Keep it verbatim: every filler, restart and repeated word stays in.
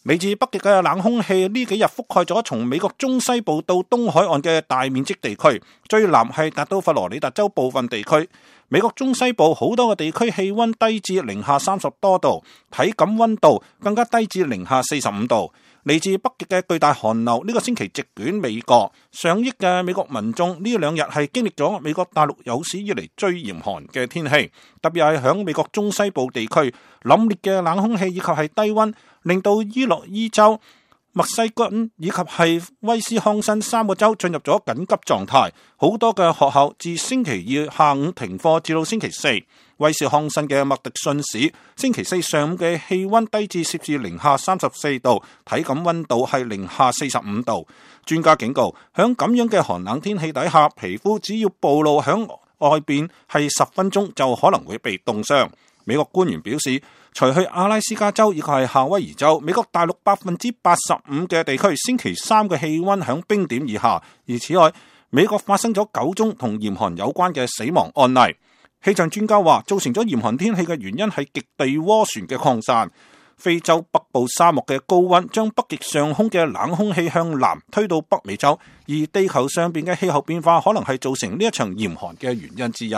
嚟自北極嘅冷空氣呢幾日覆蓋咗從美國中西部到東海岸嘅大面積地區，最南係達到佛羅里達州部分地區。美國中西部好多個地區氣溫低至零下三十多度，體感溫度更加低至零下四十五度。嚟自北極嘅巨大寒流呢個星期席捲美國，上億嘅美國民眾呢兩日係經歷咗美國大陸有史以嚟最嚴寒嘅天氣，特別係響美國中西部地區，凜冽嘅冷空氣以及係低溫，令到伊洛伊州、密西根以及係威斯康辛三個州進入咗緊急狀態，好多嘅學校自星期二下午停課至到星期四。威斯康辛嘅麥迪遜市星期四上午嘅氣溫低至攝氏零下三十四度，體感溫度係零下四十五度。專家警告，響咁樣嘅寒冷天氣底下，皮膚只要暴露響外邊係十分鐘就可能會被凍傷。美國官員表示，除去阿拉斯加州以及係夏威夷州，美國大陸百分之八十五嘅地區星期三嘅氣溫響冰點以下。而此外，美國發生咗九宗同嚴寒有關嘅死亡案例。氣象專家話，造成咗嚴寒天氣嘅原因係極地渦旋嘅擴散。非洲北部沙漠嘅高溫將北極上空嘅冷空氣向南推到北美洲，而地球上邊嘅氣候變化可能係造成呢一場嚴寒嘅原因之一。